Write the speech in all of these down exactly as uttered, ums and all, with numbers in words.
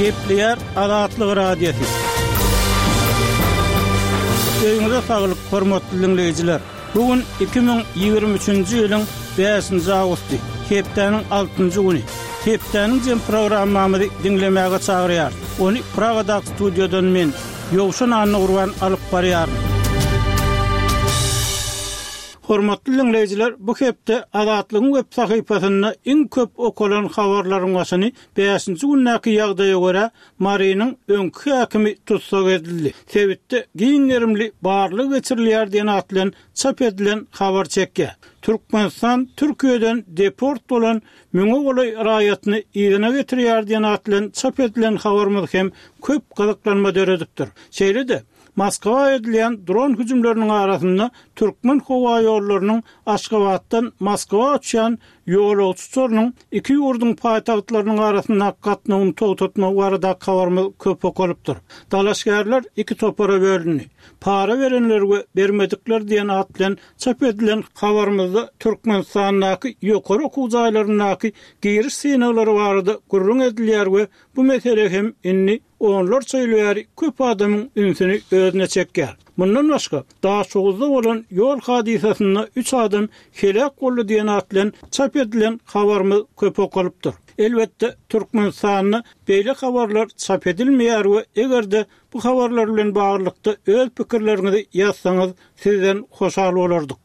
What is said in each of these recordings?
Gepleýär Azatlyk Radiosy. Öýüňize saglyk, hormatly dinleýjiler. Bu gün iki müň ýigrimi üçünji ýylyň bäşinji awgusty, hepdäniň altynjy güni. Hepdäniň jem programmamyzy diňlemäge çagyrýar. Ony Pragadaky studiýadan men, Ýowşan Annagurban alyp barýaryn. Hormatly dinleýjiler, bu hepde Azatlygyň web sahypasynda iň köp okalan habarlaryň başyny bäşinji gündäki ýagdaýa görä Marynyň öňki häkimi tussag edildi. Sebitde giň gerimli barlyk geçirilýär diýen at bilen çap edilen habar çekýär. Türkmenistan Türkiýeden deport bolan müňe golaý raýatyny yzyna getirýär diýen at bilen çap edilen habarymyz hem köp gyzyklanma döredipdir. Şeýle-de Moskwa edilen dron hüjümleriniň arasynda Türkmen howa ýollarynyň Aşgabatdan Moskwa uçýan ýolagçy uçarynyň iki ýurduň paýtagtlarynyň arasynda gatnawyny togtatmak barada habarymyz köp okalypdyr. Dalaşgärler iki topara bölündi. Para berenler we bermedikler diýen at bilen çap edilen habarymyzda Türkmenistandaky ýokary okuw jaýlaryndaky giriş synaglary barada gürrüň edilýär we bu mesele hem indi onlarça ýyl bäri köp adamyň ünsüni özüne çekýär. Mundan başga Daşoguzda bolan ýol hadysasynda üç adam helak boldy diýen at bilen çap edilen habarymyz köp okalypdyr. Elbetde Türkmenistanda beýle habarlar çap edilmeýär we eger-de bu habarlar bilen baglylykda öz pikirleriňizi ýazsaňyz sizden hoşal bolardyk.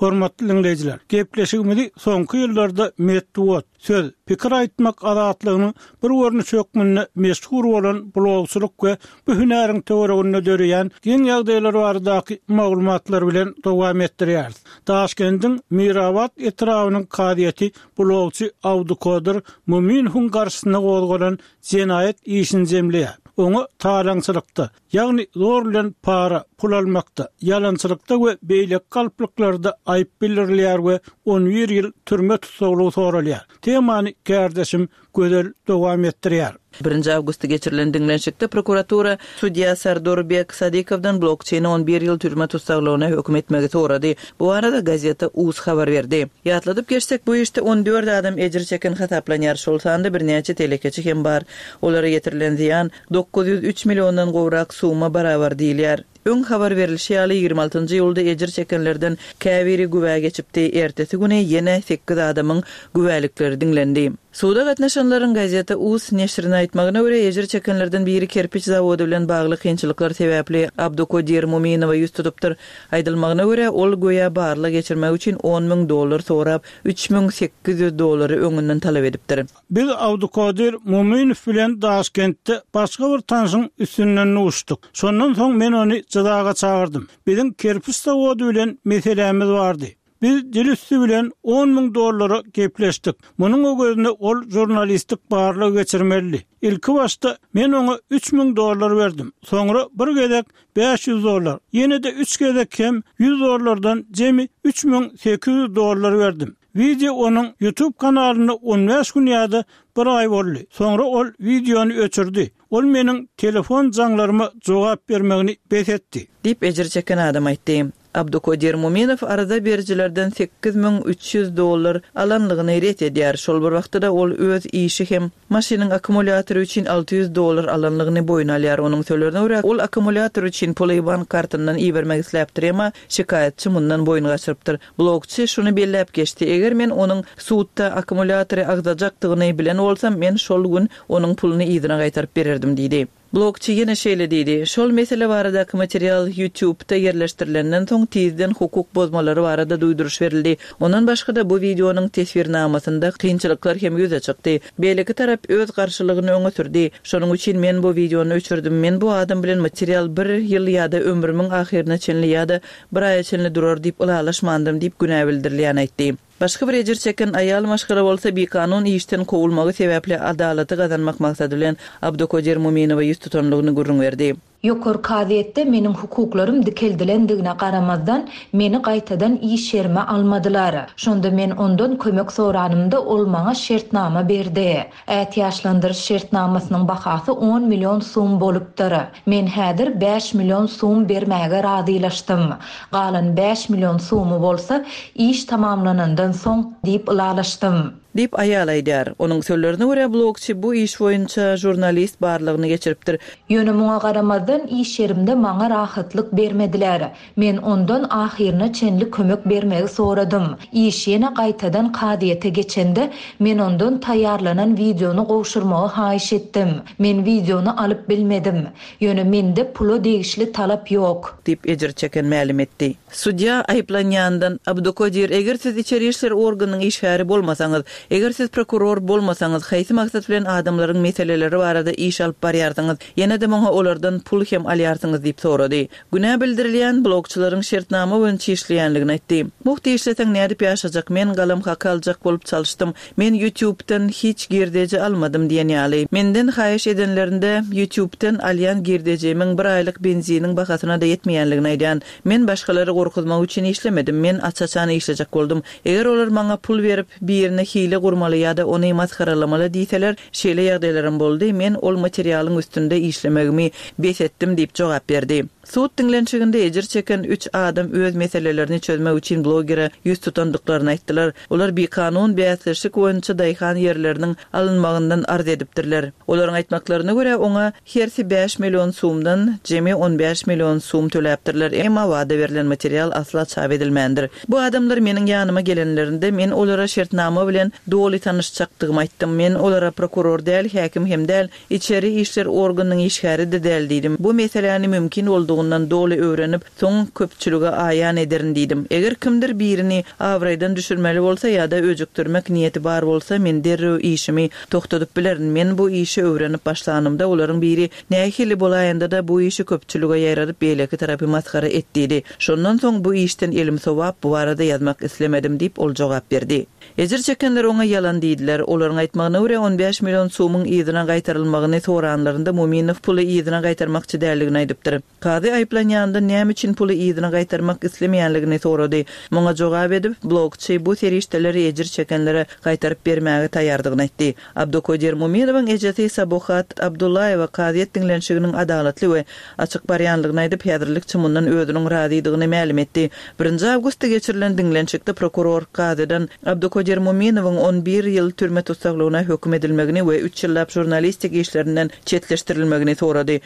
Hormatly dinleýjiler, gepleşigimizi soňky ýyllarda metbugat, söz, pikir aýtmak azatlygynyň bir görnüşi hökmünde meşhur bolan blogçylyk we bu hünäriň töwereginde döreýän giň ýagdaýlar baradaky maglumatlar bilen dowam etdirýäris. Daşkendiň Mirabat etrabynyň kazyýeti blogçy Abdukodir Muminowyň garşysyna gozgalan jenaýat işini jemleýär. Oňa talaňçylykda, ýagny zor bilen para, pul almakda, ýalançylykda we beýleki galplyklarda aýyp bildirilýär we on bir ýyl türme tussaglygy soralýar. Temany kärdeşim Gözel dowam etdirýär. Birinji awgustda geçirilen diňlenişikde prokuratura sudýa Sardorbek Sadikowdan blokçeýni on bir ýyl türme tussaglygyna höküm etmegi sorady. Bu arada gazeta Uz habar berdi. Ýatladyp geçsek, bu işde on dört adam ejir çeken hasaplanýar. Şol sanda birnäçe telekeçi hem bar. Olara ýetirilen zyýan dokuz ýüz üç milliondan gowrak suma barabar diýilýär. Öň habar berilişi ýaly ýigrimi altynjy ýylda ejir çekenlerden käbiri güwä geçipdi. Ertesi güni ýene sekiz adamyň güwälikleri diňlendi. Suda gatnaşanlaryň gazeta Uz neşrine aýtmagyna görä ejir çekenlerden biri kerpiç zawody bilen bagly kynçylyklar sebäpli Abdukodir Muminowa ýüz tutupdyr. Aýdylmagyna görä ol göýä barlyk geçirmek üçin on müň dollar sorap, üç müň sekiz ýüz dollary öňünden talap edipdir. Biz Abdukodir Muminow bilen Daşkentde başga bir tanşyň üstünden uçduk. Şondan soň men ony jyzaga çagyrdym. Biziň kerpiç zawody bilen meselämiz bardy. Biz dil üstü bilen on müň dollara gepleşdik. Munuň öwezine ol jurnalistik barlyk geçirmeli. Ilki başda men oňa üç müň dollar berdim. Soňra bir gezek bäş ýüz dollar, ýene de üç gezek hem ýüz dollardan jemi üç müň sekiz ýüz dollar berdim. Video onuň YouTube kanalynda on bäş gün ýa-da bir aý boldy. Soňra ol videony öçürdi. Ol meniň telefon jaňlaryma jogap bermegini bes etdi. Diýip ejir çeken adam aýtdy. Abdukodir Muminow arada bericilerden sekiz müň üç ýüz dollar alanlygyny ret edýär. Şol bir wagtda da ol öz işi hem maşynyň akkumulýatory üçin alty ýüz dollar alanlygyny boýun alýar. Onuň sözlerine görä ol akkumulýator üçin puly bank kartyndan ibermek isläpdir, emma şikaýatçy mundan boýun gaçyrypdyr. Blogçy şuny belläp geçdi. Eger men onuň sudda akkumulýatory agzajakdygyny bilen bolsam, men şol gün onuň puluny yzyna gaýtaryp bererdim diýdi. Blogçy ýene şeýle diýdi. Şol mesele baradaky material YouTube'da ýerleşdirilenden soň tizden hukuk bozmalary barada duýduryş berildi. Ondan başga da bu videonyň teswirnamasynda kynçylyklar hem ýüze çykdy. Beýleki tarap öz garşylygyny öňe sürdi. Şonuň üçin men bu videony öçürdim. Men bu adam bilen material bir ýyl ýa-da ömrümiň ahyryna çenli ýa-da bir aýa çenli durar diýip ylalaşmandym diýip günä bildirilýän aýtdy. Başga bir ejir çeken aýal maşgala bolsa bikanun işden kowulmagy sebäpli adalaty gazanmak maksady bilen Abdukodir Muminowa ýüz tutanlygyny gürrüň berdi. Ýokary kazyýetde meniň hukuklarym dikeldilendigine garamazdan meni gaýtadan iş ýerime almadylar. Şonda men ondan kömek soranymda ol maňa şertnama berdi. Ätiýaçlandyryş şertnamasynyň bahasy on million sum bolupdyr. Men häzir bäş million sum bermäge razylaşdym. Galan bäş million sumy bolsa iş tamamlanandan soň diýip ylalaşdym. Diýip aýal aýdýar. Onuň sözlerine görä blogçy bu iş boýunça žurnalist barlygyny geçiripdir. Ýöne muňa garamazdan iş ýerimde maňa rahatlyk bermediler. Men ondan ahyryna çenli kömek bermegi soradym. Iş ýene gaýtadan kazyýete geçende men ondan taýýarlanan wideony gowşurmagy haýyş etdim. Men wideony alyp bilmedim. Ýöne mende pula degişli talap ýok. Diýip ejir çeken mälim etdi. Sudýa aýyplanýandan Abdukodir eger siz içeri işler organynyň işgäri bolmasaňyz, eger siz prokuror bolmasaňyz, haýsy maksat bilen adamlaryň meseleleri barada iş alyp barýarsyňyz, ýene-de muňa olardan pul hem alýarsyňyz diýip sorady. Günä bildirilýän blogçylaryň şertnama boýunça işleýänligini aýtdy. Mugt işleseň nädip ýaşajak, men galam haky aljak bolup çalyşdym. Men YouTube'dan hiç girdeji almadym diýen ýaly. Menden haýyş edenlerinde YouTube'dan alýan girdejimiň bir aýlyk benziniň bahasyna da ýetmeýänligini aýdýan. Men başgalary gorkuzmak üçin işlemedim. Men aç-açan işlejek boldum. Eger olar maňa pul berip birine hile gurmaly ýa-da ony masgaralamaly diýseler, şeýle ýagdaýlarym boldy. Men ol materialyň üstünde işlemegimi bes etdim diýip jogap berdi. Sud diňlenişiginde ejir çeken üç adam öz meselelerini çözmek üçin blogere ýüz tutandyklaryny aýtdylar. Olar bikanun bäsleşik boýunça daýhan ýerleriniň alynmagyndan arz edipdirler. Olaryň aýtmaklaryna görä oňa hersi bäş million sumdan jemi on bäş million sum töläpdirler. Emma wada berlen material asla çap edilmändir. Bu adamlar meniň ýanyma gelenlerinde men olara şertnama bilen doly tanyşjakdygymy aýtdym. Men olara prokuror däl, häkim hem däl, içeri işler organynyň işgäri de däl diýdim. Bu meseläni mümkin boldugyny doly öwrenip, soň köpçülige aýan ederin diýdim. Eger kimdir birini abraýdan düşürmeli bolsa ýa-da öjükdirmek niýeti bar bolsa, men derrew işimi toxtadyp bilerin. Men bu işi öwrenip başlanymda olaryň biri nähili bolaýanda da bu işi köpçülige ýaýradyp beýleki tarapy masgara et diýdi. Şondan soň bu işden elim sowap bu barada ýazmak islemedim diýip ol jogap berdi. Ejir çekenler oňa ýalan diýdiler. Olaryň aýtmagyna görä on bäş million sumyň yzyna gaýtarylmagyny soranlarynda Muminow puly yzyna gaýtarmakçy däldigini aýdypdyr. Kazy aýyplanýandan näme üçin puly yzyna gaýtarmak islemeýänligini sorady. Muňa jogap edip, blogçy bu serişdeleri ejir çekenlere gaýtaryp bermäge taýýardygyny aýtdy. Abdukodir Muminowyň ejesi Sabuhat Abdullaýewa kazyýet diňlenişiginiň adalatly we açyk barýanlygyny aýdyp, häzirlikçe mundan özüniň razydygyny mälim etdi. Birinji awgustda geçirilen diňlenişikde prokuror kazydan Abdukodir Muminowyň on bir ýyl türme tussaglygyna höküm edilmegini we üç ýyllap žurnalistik işlerinden çetleşdirilmegini sorady.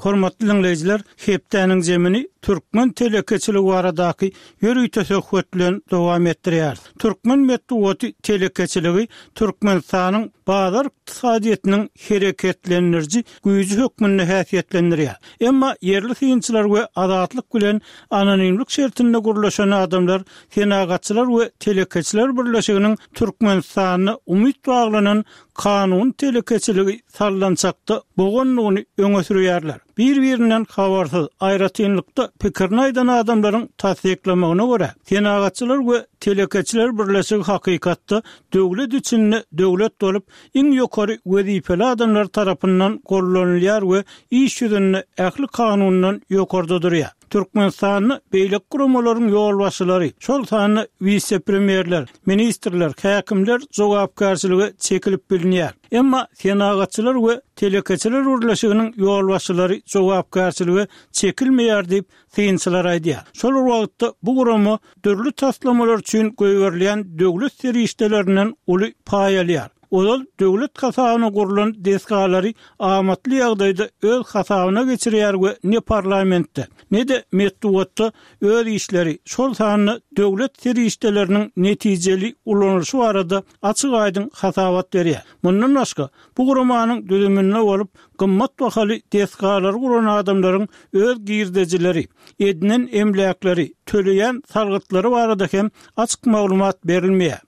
Hormatly dinleýjiler, hepdäniň zemini Türkmen telekeçiligi baradaky ýörite söhbet bilen dowam etdirýär. Türkmen metbugaty telekeçiligi Türkmenistanyň bazar ykdysadyýetiniň hereketlendiriji güýji hökmünde häsiýetlendirýär. Emma ýerli synçylar we azatlyk bilen anonimlik şertinde gurlaşan adamlar Senagatçylar we Telekeçiler Birleşiginiň Türkmenistanda umyt baglanan kanun telekeçiligi sallançakda boğanlygyny öňe sürýärler. Bir-birinden habarsyz aýratynlykda pikirini aýdan adamlaryň tassyklamagyna görä, Senagatçylar we Telekeçiler Birleşigi hakykatda döwlet içinde döwlet bolup, iň ýokary wezipeli adamlar tarapyndan gollanylýar we iş ýüzünde ähli kanundan ýokarda durýar. Türkmenistanda beýleki guramalaryň ýolbaşçylary, şol sanda wise-premýerler, ministrler, häkimler jogapkärçilige çekilip bilinýär. Emma Senagatçylar we Telekeçiler Birleşiginiň ýolbaşçylary jogapkärçilige çekilmeýär diýip synçylar aýdýar. Şol wagtda bu gurama dürli taslamalar üçin goýberilýän döwlet serişdelerinden uly paý alýar. Ozal döwlet hasabyna gurulan desgalary amatly ýagdaýda öz hasabyna geçirýär we ne parlamentde, ne de metbugatda öz işleri, şol sanda döwlet serişdeleriniň netijeli ulanylyşy barada açyk aýdyň hasabat berýär. Mundan başga, bu guramanyň düzüminde bolup, gymmat bahaly desgalary guran adamlaryň öz girdejileri, edinen emläkleri, töleýän salgytlary barada hem açyk maglumat berilmeýär.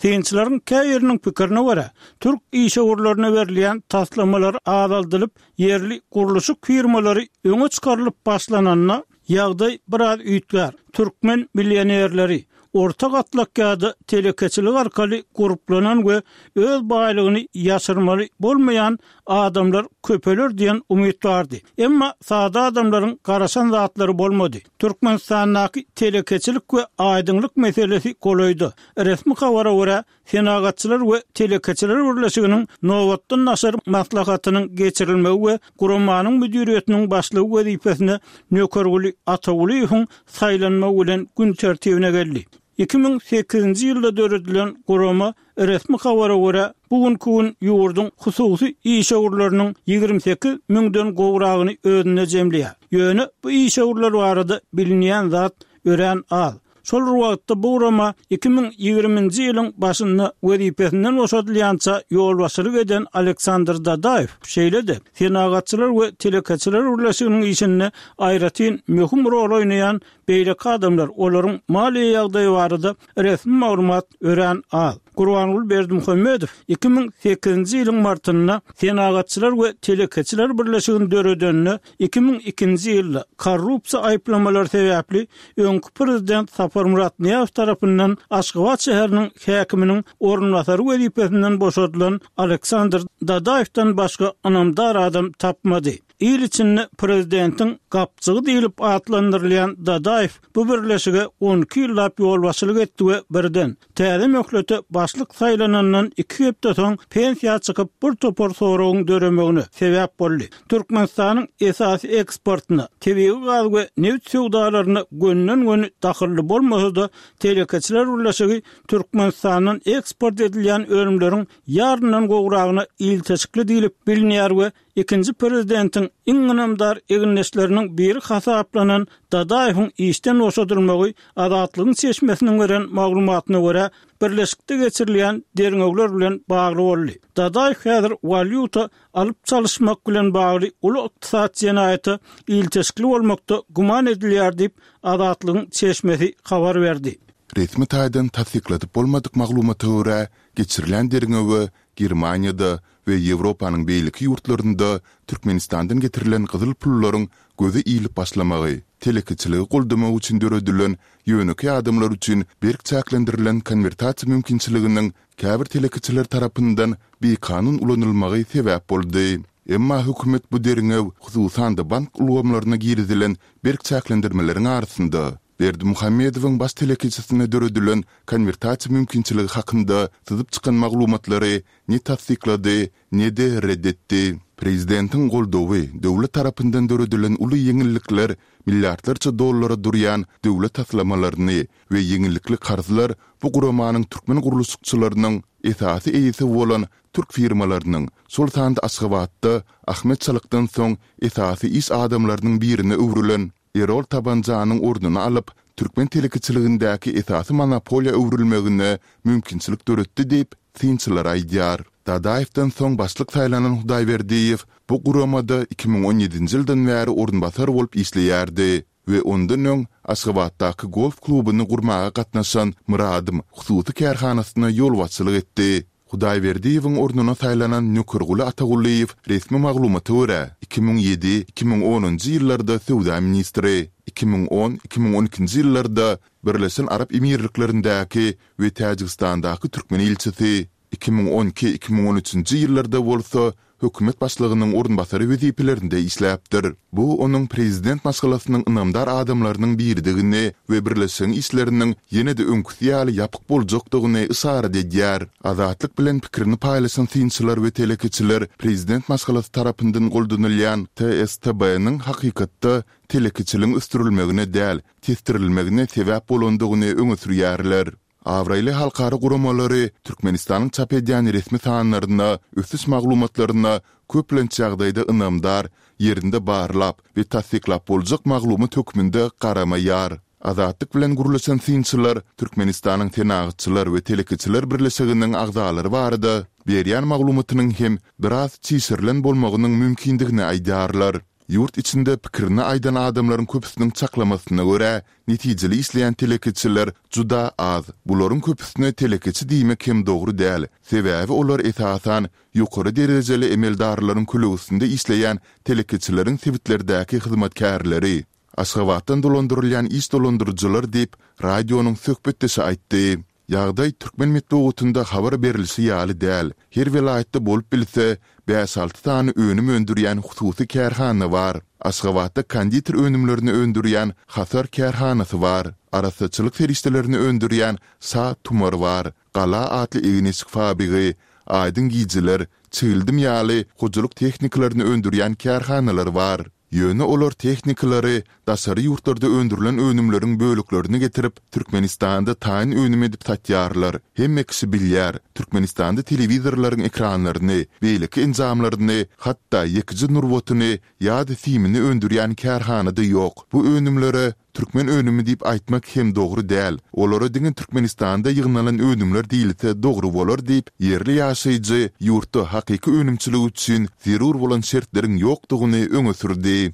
Synçylaryň käýeriniň pikirine görä, türk işewürlerine berilýän taslamalar azaldylyp, ýerli gurluşyk firmalary öňe çykarylyp başlananda ýagdaý biraz üýtgär. Türkmen millionerleri, orta gatlak ýa-da telekeçilik arkaly gurplanan we öz baýlygyny ýaşyrmaly bolmaýan adamlar köpeler diýen umyt bardy. Emma sada adamlaryň garaşan zatlary bolmady. Türkmenistandaky telekeçilik we aýdyňlyk meselesi golaýda. Resmi habara görä, Senagatçylar we telekeçiler birleşiginiň nobatdan daşary maslahatynyň geçirilmegi we guramanyň müdiriýetiniň başlygy wezipesine Nökerguly Atagulyýewiň saýlanmagy bilen gün tertibine geldi. Iki müň sekizinji ýylda döredilen gurama resmi habara görä, bu günki gün ýurduň hususy işewürleriniň ýigrimi sekiz müňden gowragyny özünde jemleýär. Ýöne bu işewürler barada bilinýän zat örän az. Şol bir wagtda bu gurama iki müň ýigriminji ýylyň başynda wezipesinden boşadylýança ýolbaşçylyk eden Aleksandr Dadaýew, şeýle-de Senagatçylar we telekeçiler birleşiginiň işinde aýratyn möhüm rol oýnaýan beýleki adamlar, olaryň maliýe ýagdaýy barada resmi maglumat örän az. Gurbanguly Berdimuhamedow iki müň sekizinji ýylyň martynda Senagatçylar we telekeçiler birleşigini döredeninde iki müň ikinji ýylda korrupsiýa aýyplamalary sebäpli öňki prezident Saparmyrat Nyýazow tarapyndan Aşgabat şäheriniň häkiminiň orunbasary wezipesinden boşadylan Aleksandr Dadaýewden başga ynamdar adam tapmady. Il içinde prezidentiň gapjygy diýlip atlandyrylýan Dadaýew bu birleşige on iki ýyllap ýolbaşçylyk etdi we birden, täze möhlete başlyk saýlanandan iki hepde soň pensiýa çykyp bir topar soragyň döremegine sebäp boldy. Türkmenistanyň esasy eksportyna, tebigy gaz we nebit söwdalaryna gönden-göni dahylly bolmasa-da, Telekeçiler birleşigi Türkmenistandan eksport edilýän önümleriň ýaryndan gowragyna ilteşikli diýlip bilinýär we Ikinji prezidentiň iň ynamdar egindeşleriniň biri hasaplanan Dadaýewiň işden boşadylmagy Azatlygyň çeşmesiniň beren maglumatyna görä, birleşikde geçirilýän derňewler bilen bagly boldy. Dadaýew häzir walýuta alyp-çalyşmak bilen bagly uly ykdysady jenaýata ilteşikli bolmakda güman edilýär diýip, Azatlygyň çeşmesi habar berdi. Resmi taýdan tassykladyp bolmadyk maglumata görä, geçirilen derňewe Germaniýada we Ýewropanyň beýleki ýurtlarynda Türkmenistandan getirilen gyzyl pullaryň göze ilip başlamagy, telekeçiligi goldamak üçin döredilen ýönekeý adamlar üçin berk çäklendirilen konwertasiýa mümkinçiliginiň käbir telekeçiler tarapyndan bikanun ulanylmagy sebäp boldy. Emma hökümet bu derňew, hususan-da bank ulgamlaryna girizilen berk çäklendirmeleriň arasynda, Berdimuhamedowyň baş telekeçisine döredilen konwertasiýa mümkinçiligi hakynda syzyp çykan maglumatlary ne tassyklady, ne-de ret etdi. Prezidentiň goldawy, döwlet tarapyndan döredilen uly ýeňillikler, milliardlarça dollara durýan döwlet taslamalaryny we ýeňillikli karzlar bu guramanyň türkmen gurluşykçylarynyň esasy eýesi bolan türk firmalarynyň, şol sanda Aşgabatda Ahmet Çalykdan soň esasy iş adamlarynyň birine öwrülen Erol Tabanjanyň ornuny alyp, türkmen telekeçiligindäki esasy monopoliýa öwrülmegine mümkinçilik döretdi diýip, synçylar aýdýar. Dadaýewden soň başlyk saýlanan Hudaýberdiýew bu guramada iki müň on ýedinji ýyldan bäri orunbasar bolup işleýärdi we ondan öň Aşgabatdaky golf klubuny gurmaga gatnaşan Myradym hususy kärhanasyna ýolbaşçylyk etdi. Hudaýberdiýewiň ornuna saýlanan Nökerguly Atagulyýew resmi maglumata görä, iki müň ýedi, iki müň onunjy ýyllarda söwda ministri, iki müň on, iki müň on ikinji ýyllarda Birleşen Arap Emirliklerindäki we Täjigistandaky türkmen ilçisi, iki müň on iki, iki müň on üçünji ýyllarda bolsa hökümet başlygynyň orunbasary wezipelerinde işläpdir. Bu onuň prezident maşgalasynyň ynamdar adamlarynyň biridigini we birleşigiň işleriniň ýene-de öňküsi ýaly ýapyk boljakdygyny yşarat edýär. Azatlyk bilen pikirini paýlaşan synçylar we telekeçiler prezident maşgalasy tarapyndan goldanylýan TSTB-niň hakykatda telekeçiligiň ösdürilmegine däl, tesdirilmegine sebäp bolandygyny öňe sürýärler. Abraýly halkara guramalary Türkmenistanyň çap edýän resmi sanlaryna, ösüş maglumatlaryna köplenç ýagdaýda ynamdar, ýerinde barlap we tassyklap boljak maglumat hökmünde garamaýar. Azatlyk bilen gürleşen synçylar Türkmenistanyň Senagatçylar we telekeçiler birleşiginiň agzalary barada berýän maglumatynyň hem biraz çişirilen bolmagynyň mümkindigini aýdýarlar. Ýurt içinde pikirini aýdan adamlaryň köpüsiniň çaklamasyna görä, netijeli işleýän telekeçiler juda az. Bularyň köpüsine telekeçi diýmek hem dogry däl, sebäbi olar esasan ýokary derejeli emeldarlaryň kölegesinde işleýän telekeçileriň sebitlerdäki hyzmatkärleri. Aşgabatdan dolandyrylýan iş dolandyryjylar diýip, radionyň söhbetdeşi aýtdy. Ýagdaý türkmen metbugatynda habar berlişi ýaly däl. Her welaýatda bolup bilse, bäş-alty sany önüm öndürýän hususy kärhana bar. Aşgabatda konditer önümlerini öndürýän Hasar kärhanasy bar. Arassaçylyk serişdelerini öndürýän Şa tumar bar. Gala atly egin-eşik fabrigi, Aýdyň gijeler, Çigildim ýaly hojalyk tehnikalaryny öndürýän kärhanalar bar. Ýöne olar tehnikalary, daşary ýurtlarda öndürilen önümleriň böleklerini getirip, Türkmenistanda taýyn önüm edip satýarlar. Hemme kişi bilýär, Türkmenistanda telewizorlaryň ekranlaryny, beýleki enjamlaryny, hatda ýekeje nurbatyny ýa-da simini öndürýän kärhana-da ýok. Bu önümlere Türkmen önümi diýip aýtmak hem dogry däl. Olara diňe Türkmenistanda ýygnalan önümler diýilse dogry bolar diýip, ýerli ýaşaýjy ýurtda hakyky önümçilik üçin zerur bolan şertleriň ýokdugyny öňe sürdi.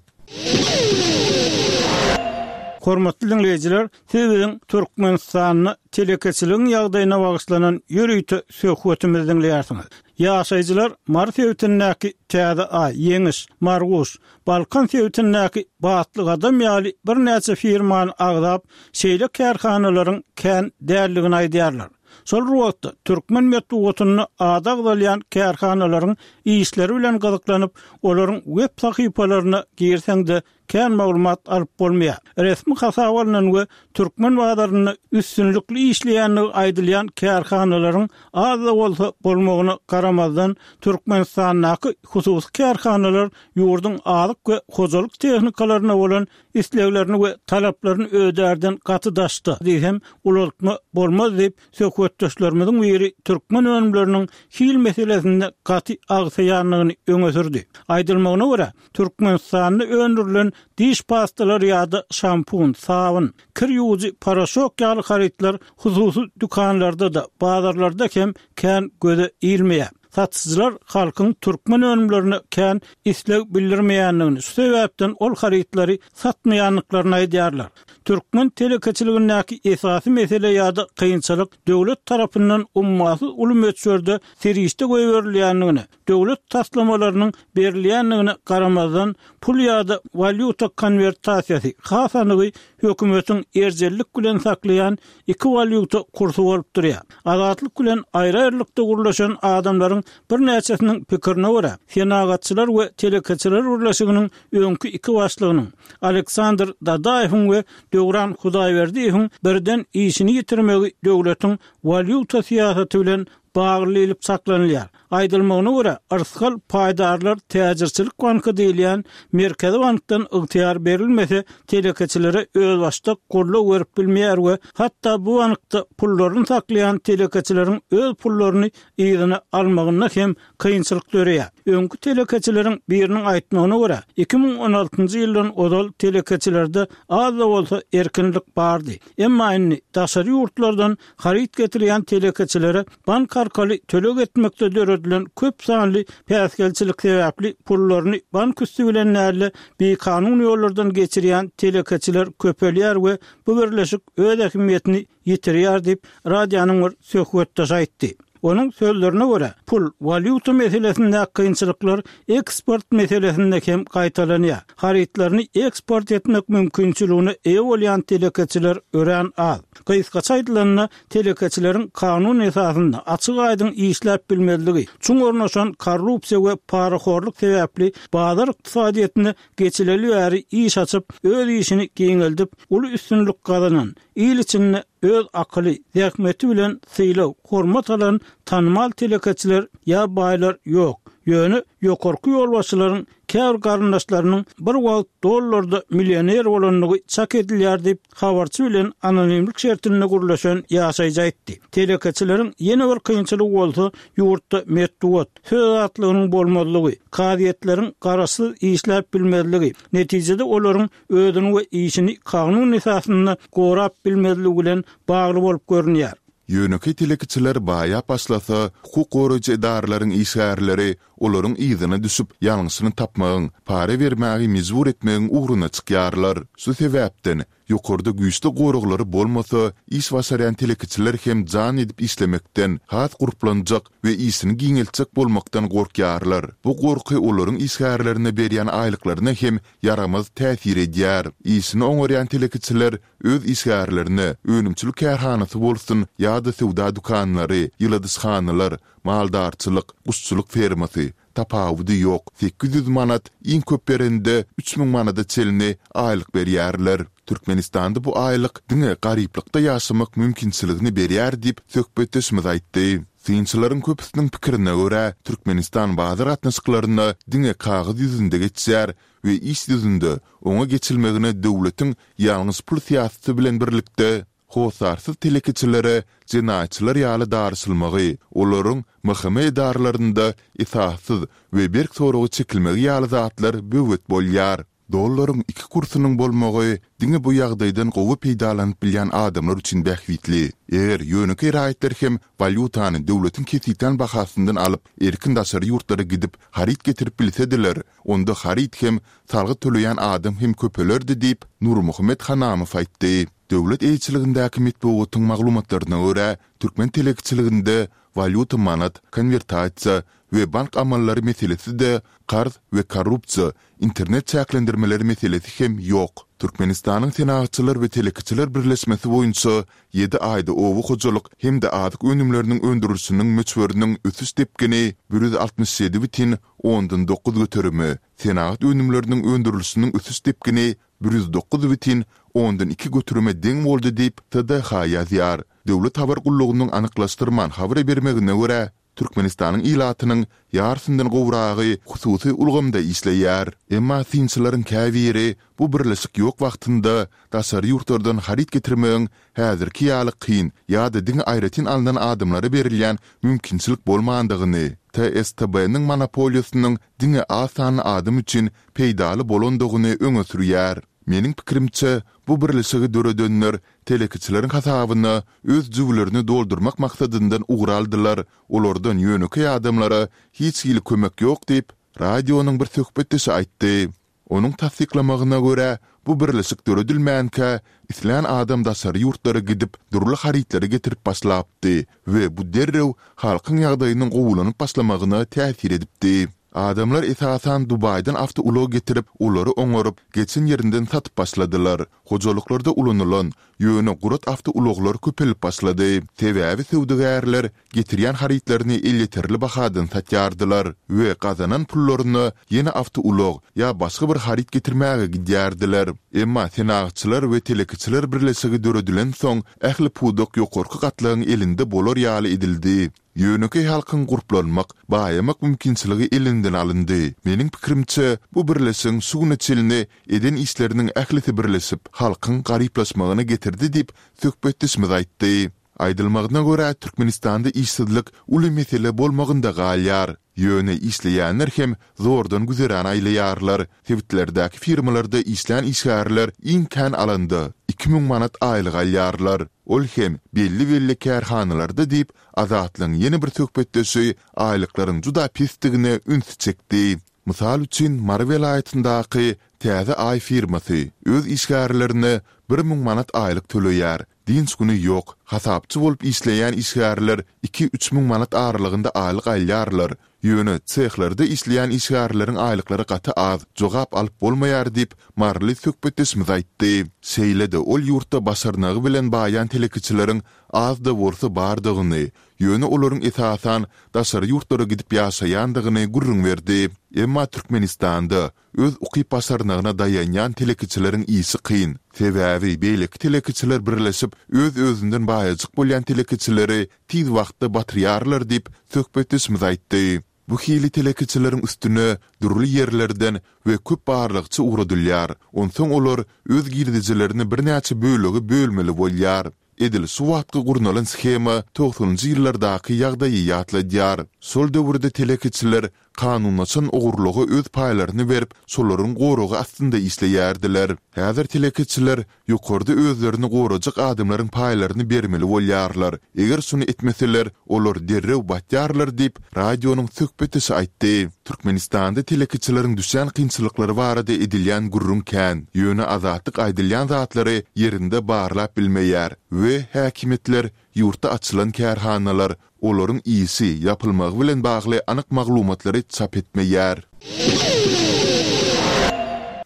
Hormatly diňleýjiler, siz biziň Türkmenistanda telekeçiligiň ýagdaýyna bagyşlanan ýörite söhbetimizi diňleýärsiňiz. Ýaşaýjylar Mary sebitindäki Täze Aý, Ýeňiş, Marguş, Balkan sebitindäki Batly Gadam ýaly birnäçe firmany agzap, şeýle kärhanalaryň kän däldigini aýdýarlar. Şol bir wagtda, türkmen metbugatynda ady agzalýan kärhanalaryň işleri bilen gyzyklanyp, olaryň web sahypalaryna girseň-de, kän maglumat alyp bolmaýar. Resmi hasaba alnan we türkmen bazarynda üstünlikli işleýändigi aýdylýan kärhanalaryň az-da bolsa bolmagyna garamazdan, Türkmenistandaky hususy kärhanalar ýurduň azyk we hojalyk tehnikalaryna bolan isleglerini we talaplaryny ödärden gaty daşda diýsem, ulaltma bolmaz diýip, söhbetdeşlerimiziň biri türkmen önümleriniň hil meselesinde gaty agsaýandygyny öňe sürdi. Aýdylmagyna görä, Türkmenistanda öndürilen diş pastalary ýa-da şampun, sabyn, kir ýuwujy poroşok ýaly harytlar hususy dükanlarda-da, bazarlarda hem kän göze ilmeýär. Satyjylar halkyň türkmen önümlerine kän isleg bildirmeýändigini, şu sebäpden ol harytlary satmaýandyklaryny aýdýarlar. Türkmen telekeçiligindäki esasy mesele ýa-da kynçylyk döwlet tarapyndan ummasyz uly möçberde serişde goýberilýändigine, döwlet taslamalarynyň berilýändigine garamazdan, pul ýa-da walýuta konwertasiýasy, has anygy, hökümetiň erjellik bilen saklaýan iki walýuta kursy bolup durýar. Azatlyk bilen aýry-aýrylykda gürleşen adamlaryň birnäçesiniň pikirine görä, Senagatçylar we telekeçiler birleşiginiň öňki iki başlygynyň, Aleksandr Dadaýewiň we Döwran Hudaýberdiýewiň birden işini ýitirmegi döwletiň walýuta syýasaty bilen bagly diýlip çaklanylýar. Aýdylmagyna görä, Yrsgal paýdarlar täjirçilik banky diýilýän Merkezi bankdan ygtyýar berilmese, telekeçilere özbaşdak goldaw berip bilmeýär we hatda bu bankda pullaryny saklaýan telekeçileriň öz pullaryny yzyna almagynda hem kynçylyk döreýär. Öňki telekeçileriň biriniň aýtmagyna görä, iki müň on altynjy ýyldan ozal telekeçilerde az-da bolsa erkinlik bardy. Emma indi daşary ýurtlardan haryt getirýän telekeçilere bank arkaly töleg etmekde döredilen köp sanly päsgelçilik sebäpli pullaryny bank üsti bilen däl-de, bikanun ýollardan geçirýän telekeçiler köpelýär we bu birleşik öz ähmiýetini ýitirýär diýip, radionyň bir söhbetdeşi aýtdy. Onuň sözlerine görä, pul, walýuta meselesindäki kynçylyklar eksport meselesinde hem gaýtalanýar. Harytlaryny eksport etmek mümkinçiligine eýe bolýan telekeçiler örän az. Gysgaça aýdylanda, telekeçileriň kanun esasynda açyk-aýdyň işläp bilmezligi, çuň ornaşan korrupsiýa we parahorluk sebäpli bazar ykdysadyýetine geçileli bäri iş açyp, öz işini giňeldip, uly üstünlik gazanan, il içinde öz akyly, zähmeti bilen sylag, hormat alan tanymal telekeçiler ýa baýlar ýok. Ýöne ýokarky ýolbaşçylaryň käbir garyndaşlarynyň bir wagt dollarda millioner bolandygy çak edilýär diýip, habarçy bilen anonimlik şertinde gürleşen ýaşaýjy aýtdy. Telekeçileriň ýene bir kynçylygy bolsa, ýurtda metbugat, söz azatlygynyň bolmazlygy, kazyýetleriň garaşsyz işläp bilmezligi, netijede olaryň özüni we işini kanun esasynda gorap bilmezligi bilen bagly bolup görünýär. Ýönekeý telekeçiler baýap başlasa, hukuk goraýjy edaralaryň işgärleri olaryň yzyna düşüp, ýalňyşyny tapmagyň, para bermäge mejbur etmegiň ugruna çykýarlar. Şu sebäpden, ýokarda güýçli goraglary bolmasa, iş başarýan telekeçiler hem jan edip işlemekden, has gurplanjak we işini giňeltjek bolmakdan gorkýarlar. Bu gorky olaryň işgärlerine berýän aýlyklaryna hem ýaramaz täsir edýär. Işini oňarýan telekeçiler öz işgärlerine, önümçilik kärhanasy bolsun ýa-da söwda dükanlary, ýyladyşhanalar, maldarçylyk, guşçulyk fermasy, tapawudy ýok, sekiz ýüz manat, iň köp berende üç müň manada çenli aýlyk berýärler. Türkmenistanda bu aýlyk diňe garyplykda ýaşamak mümkinçiligini berýär diýip, söhbetdeşimiz aýtdy. Synçylaryň köpüsiniň pikirine görä, Türkmenistan bazar gatnaşyklaryna diňe kagyz ýüzünde geçýär we iş ýüzünde oňa geçilmegine döwletiň ýalňyş pul syýasaty bilen birlikde hossarsyz telekeçilere jenaýatçylar ýaly daryşylmagy, olaryň M H M edaralarynda esassyz we berk soraga çekilmegi ýaly zatlar böwet bolýar. Dollaryň iki kursunyň bolmagy diňe bu ýagdaýdan gowy peýdalanyp bilýän adamlar üçin bähbitli. Eger ýönekeý raýatlar hem walýutany döwletiň kesgitlän bahasyndan alyp, erkin daşary ýurtlara gidip, haryt getirip bilsediler, onda haryt hem, salgyt töleýän adam hem köpelerdi diýip, Nurmuhammet Hanamow aýtdy. Döwlet eýeçiligindäki metbugatyň maglumatlaryna görä, türkmen telekeçiliginde walýuta manat, konwertasiýa we bank amallary meselesi-de, karz we korrupsiýa, internet çäklendirmeleri meselesi hem ýok. Türkmenistanyň Senagatçylar we telekeçiler birleşmesi boýunça ýedi aýda oba hojalyk hem-de azyk önümleriniň öndürilişiniň möçberiniň ösüş depgini bir ýüz altmyş ýedi bütin ondan dokuz göterime, senagat önümleriniň öndürilişiniň ösüş depgini bir ýüz dokuz bütin ondan iki göterime deň boldy diýip, T D H ýazýar. Döwlet habar gullugynyň anyklaşdyrman habar bermegine görä, Türkmenistanyň ilatynyň ýarysyndan gowragy hususy ulgamda işleýär. Emma synçylaryň käbiri bu birleşik ýok wagtynda daşary ýurtlardan haryt getirmegiň häzirki ýaly kyn ýa-da diňe aýratyn alnan adamlara berilýän mümkinçilik bolmandygyny, T S T B-niň monopoliýasynyň diňe az sanly adam üçin peýdaly bolandygyny öňe sürýär. Meniň pikirimçe, bu birleşigi döredenler telekeçileriň hasabyna öz jübülerini doldurmak maksadyndan ugur aldylar, olardan ýönekeý adamlara hiç hili kömek ýok diýip, radionyň bir söhbetdeşi aýtdy. Onuň tassyklamagyna görä, bu birleşik döredilmänkä, islän adam daşary ýurtlara gidip, dürli harytlary getirip başlapdy we bu derrew halkyň ýagdaýynyň gowulanyp başlamagyna täsir edipdi. Adamlar esasan Dubaýdan awtoulag getirip, olary oňaryp, geçen ýerinden satyp başladylar. Hojalyklarda ulanylan, ýöne gurat awtoulaglar köpelip başlady. Sebäbi söwdagärler getirýän harytlaryny elýeterli bahadan satýardylar we gazanan pullaryna ýene awtoulag ýa başga bir haryt getirmäge gidýärdiler. Emma Senagatçylar we telekeçiler birleşigi döredilensoň, ähli pudak ýokarky gatlagyň elinde bolar ýaly edildi. Ýönekeý halkyň gurplanmak, baýamak mümkinçiligi elinden alyndy. Meniň pikirimçe, bu birleşigiň şu güne çenli eden işleriniň ählisi birleşip, halkyň garyplaşmagyna getirdi diýip, söhbetdeşimiz aýtdy. Aýdylmagyna görä, Türkmenistanda işsizlik uly mesele bolmagynda galýar. Ýöne işleýänler hem zordan güzeran aýlaýarlar. Sebitlerdäki firmalarda işlän işgärler iň kän alanda iki müň manat aýlyk alýarlar. Ol hem belli-belli kärhanalarda diýip, Azatlygyň ýene bir söhbetdeşi aýlyklaryň juda pesdigine ünsi çekdi. Mysal üçin, Mary welaýatyndaky Täze Aý firmasy öz işgärlerine bir müň manat aýlyk töleýär. Dynç güni ýok. Hasapçy bolup işleýän işgärler iki-üç müň manat aralygynda aýlyk alýarlar. Ýöne sehlerde işleýän işgärleriň aýlyklary gaty az, jogap alyp bolmaýar diýip, maryly söhbetdeşimiz aýtdy. Şeýle-de ol ýurtda başarnygy bilen baýan telekeçileriň az-da bolsa bardygyny, ýöne olaryň esasan daşary ýurtlara gidip ýaşaýandygyny gürrüň berdi. Emma Türkmenistanda öz ukyp-başarnygyna daýanýan telekeçileriň işi kyn. Sebäbi beýleki telekeçiler birleşip, öz-özünden baýajyk bolýan telekeçileri tiz wagtda batyrýarlar diýip, söhbetdeşimiz aýtdy. Bu hili telekeçileriň üstüne dürli ýerlerden we köp barlagçy ugradylýar, onsoň olar öz girdejilerini birnäçe bölege bölmeli bolýar. Edil şu wagtky gurnalan shema togsanynjy ýyllardaky ýagdaýy ýatladýar. Şol döwürde telekeçiler kanunlaşan ogurlyga öz paýlaryny berip, şolaryň goragy astynda işleýärdiler. Häzir telekeçiler ýokarda özlerini gorajak adamlaryň paýlaryny bermeli bolýarlar. Eger şuny etmeseler, olar derrew batýarlar diýip, radionyň söhbetdeşi aýtdy. Türkmenistanda telekeçileriň düşýän kynçylyklary barada edilýän gürrüň kän, ýöne Azatlyk aýdylýan zatlary ýerinde barlap bilmeýär we häkimiýetler ýurtda açylan kärhanalar, olaryň işi, ýapylmagy bilen bagly anyk maglumatlary çap etmeýär.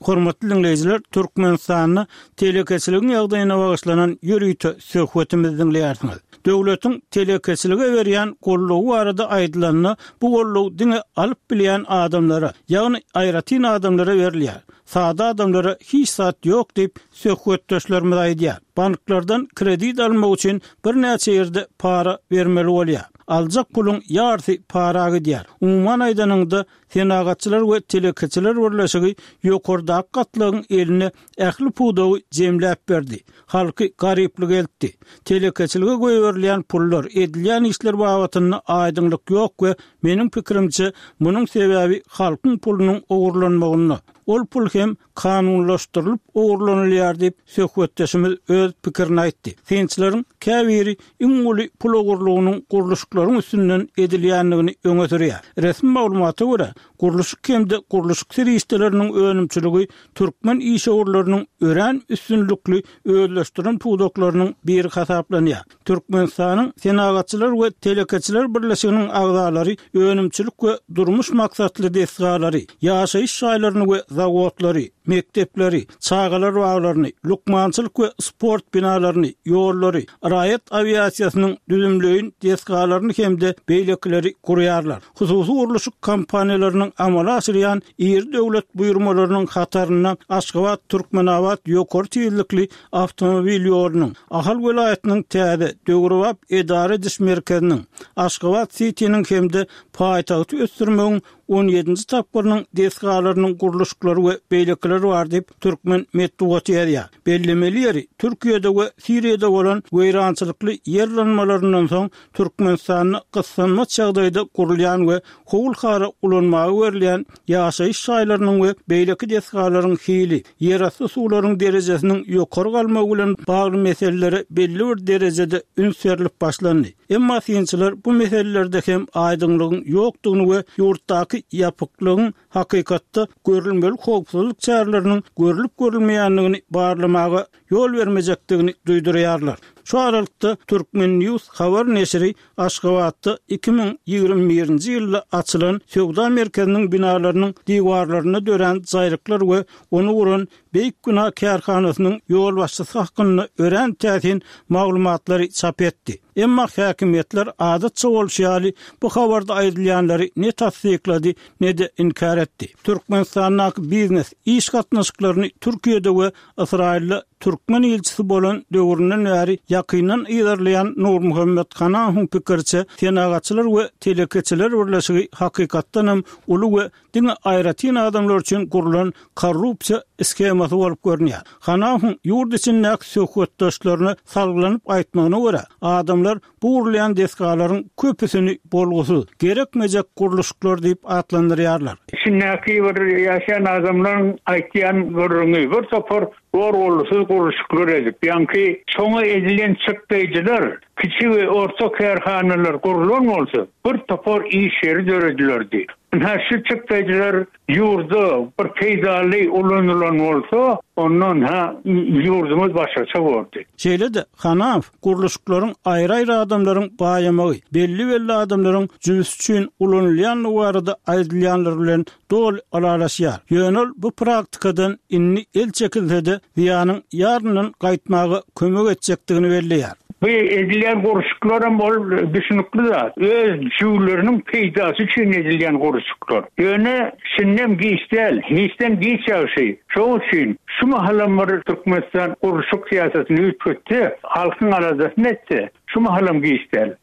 Hormatly diňleýjiler, Türkmenistanda telekeçiligiň ýagdaýyna bagyşlanan ýörite söhbetimizi diňleýärsiňiz. Döwletiň telekeçilige berýän goldawy barada aýdylanda, bu goldaw diňe alyp bilýän adamlara, ýagny aýratyn adamlara berilýär. Sada adamlara hiç zat ýok diýip, söhbetdeşlerimiz aýdýar. Banklardan kredit almak üçin birnäçe ýerde para bermeli bolýar. Aljak puluň ýarysy para gidýär. Umuman aýdanyňda, Senagatçylar we telekeçiler birleşigi ýokardaky gatlagyň eline ähli pudagy jemläp berdi. Halky garyplyga eltdi. Telekeçilige goýberilýän pullar, edilýän işler babatynda aýdyňlyk ýok we meniň pikirimçe, munuň sebäbi halkyň pulunyň ogurlanmagynda. Ol pul hem kanunlaşdyrylyp ogurlanylýar diýip, söhbetdeşimiz öz pikirini aýtdy. Synçylaryň käbiri iň uly pul ogurlygynyň gurluşyklaryň üstünden edilýändigini öňe sürýär. Resmi maglumata görä, gurluşyk hem-de gurluşyk serişdeleriniň önümçiligi türkmen işewürleriniň örän üstünlikli özleşdiren pudaklarynyň biri hasaplanýar. Türkmenistanyň Senagatçylar we telekeçiler birleşiginiň agzalary önümçilik we durmuş maksatly desgalary, ýaşaýyş jaýlaryny we zawodlary, mekdepleri, çagalar baglaryny, lukmançylyk we sport binalaryny, ýollary, raýat awiasiýasynyň düzümleýin desgalaryny hem-de beýlekileri gurýarlar. Hususy gurluşyk kompaniýalarynyň amala aşyrýan iri döwlet buýurmalarynyň hatarynda Aşgabat-Türkmenabat ýokary tizlikli awtomobil ýolunyň, Ahal welaýatynyň täze, döwrebap edara ediş merkeziniň, Aşgabat-sitiniň hem-de paýtagty ösdürmegiň on ýedinji tapgyrynyň desgalarynyň gurluşyklary we beýlekiler bar diýip, türkmen metbugaty ýazýar. Bellemeli ýeri, Türkiýede we Siriýada bolan weýrançylykly ýer yranmalaryndan soň Türkmenistanda gyssanmaç ýagdaýda gurulýan we howul-hara ulanmaga berilýän ýaşaýyş jaýlarynyň we beýleki desgalaryň hili, ýerasty suwlaryň derejesiniň ýokary galmagy bilen bagly meselelere belli bir derejede üns berlip başlandy. Emma synçylar bu meselelerde hem aýdyňlygyň ýokdugyny we ýurtdaky ýapyklygyň hakykatda görülmeli howpsuzlyk çäreleriniň görlüp-görülmeýändigini barlamaga ýol bermejekdigini duýdurýarlar. Şu aralykda, Turkmen. News habar neşiri Aşgabatda iki müň ýigrimi birinji ýylda açylan söwda merkeziniň binalarynyň diwarlarynda dörän jaýryklar we ony guran Beýik Bina kärhanasynyň ýolbaşçysy hakynda örän täsin maglumatlary çap etdi. Emma häkimiýetler adatça bolşy ýaly bu habarda aýdylýanlary ne tassyklady, ne-de inkär etdi. Türkmenistandaky biznes, iş gatnaşyklaryny Türkiýede we Ysraýylda türkmen ilçisi bolan döwründen bäri ýakyndan yzarlaýan Nurmuhammet Hanahowyň pikiriçe, Senagatçylar we telekeçiler birleşigi hakykatdan hem uly we diňe aýratyn adamlar üçin gurlan korrupsiýa shemasy bolup görünýär. Hanahowyň ýurt içindäki söhbetdeşlerine salgylanyp aýtmagyna görä, adamlar bu gurulýan desgalaryň köpüsini bolgusyz, gerekmejek gurluşyklar diýip atlandyrýarlar. Içindäki bir ýaşaýan adamlaryň aýtýan gürrüňi, bir topar gor-gollusyz gurluşyklar edip, ýaňky şoňa edilen çykdaýjylar kiçi we orta kärhanalar gurlan bolsa, bir topar iş ýeri döredilerdi. Ynha şu çykdaýjylar ýurda bir peýdaly ulanylan bolsa, onda ynha ýurdumyz başgaça bordy. Şeýle-de, Hanamow gurluşyklaryň aýry-aýry adamlaryň baýamagy, belli-belli adamlaryň jübüsi üçin ulanylýandygy barada aýdylýanlar bilen doly ylalaşýar. Ýöne ol bu praktikadan indi el çekilse-de, zyýanyň ýaryndan gaýtmaga kömek etjekdigini belleýär. Bu edilýän gurluşyklaram ol düşünikli zat. Öz jüwleriniň peýdasy üçin edilýän gurluşyklar. Ýöne şindem giç däl. Hiçden giç ýagşy. Şoň üçin şu mahalam bir Türkmenistan gurluşyk syýasatyny üýtgetse, halkyň aladasyny etse, şu mahalam giç däl.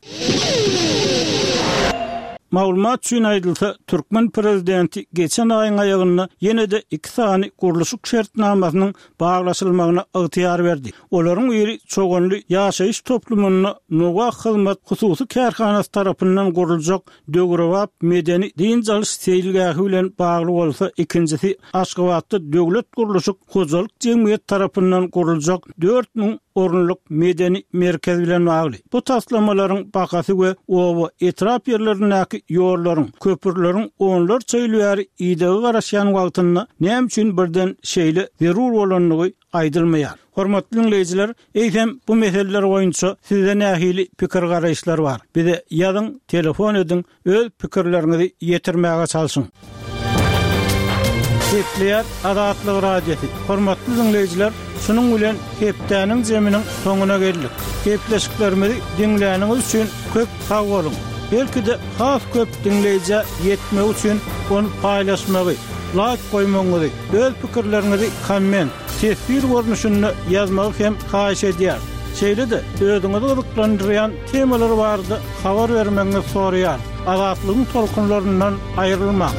Maglumat üçin aýdylsa, türkmen prezidenti geçen aýyň aýagynda ýene-de iki sany gurluşyk şertnamasynyň baglaşylmagyna ygtyýar berdi. Olaryň biri Çoganly ýaşaýyş toplumynda Nowak hyzmat hususy kärhanasy tarapyndan guruljak döwrebap medeni dynç alyş seýilgähi bilen bagly bolsa, ikinjisi Aşgabatda döwlet gurluşyk hojalyk jemgyýeti tarapyndan guruljak dört müň orunlyk medeni merkez bilen bagly. Bu taslamalaryň bahasy we oba etrap ýerlerindäki ýollaryň, köprüleriň onlarça ýyl bäri idege garaşýan wagtynda näme üçin birden şeýle zerur bolandygy aýdylmaýar. Hormatly diňleýjiler, eýsem bu meseleler boýunça sizde nähili pikir-garaýyşlar bar? Bize ýazyň, telefon ediň, öz pikirleriňizi ýetirmäge çalşyň. Gepleýär Azatlyk Radiosy. Hormatly diňleýjiler, şunuň bilen hepdäniň zeminiň soňuna geldik. Gepleşiklerimizi diňläniňiz üçin köp sag boluň. Belki-de has köp diňleýjä ýetmegi üçin ony paýlaşmagy, laýk goýmagyňyzy, öz pikirleriňizi komment, teswir görnüşinde ýazmagy hem haýyş edýäris. Şeýle-de özüňizi gyzyklandyrýan temalar barada habar bermegiňizi soraýarys. Azatlygyň tolkunlaryndan aýrylmaň.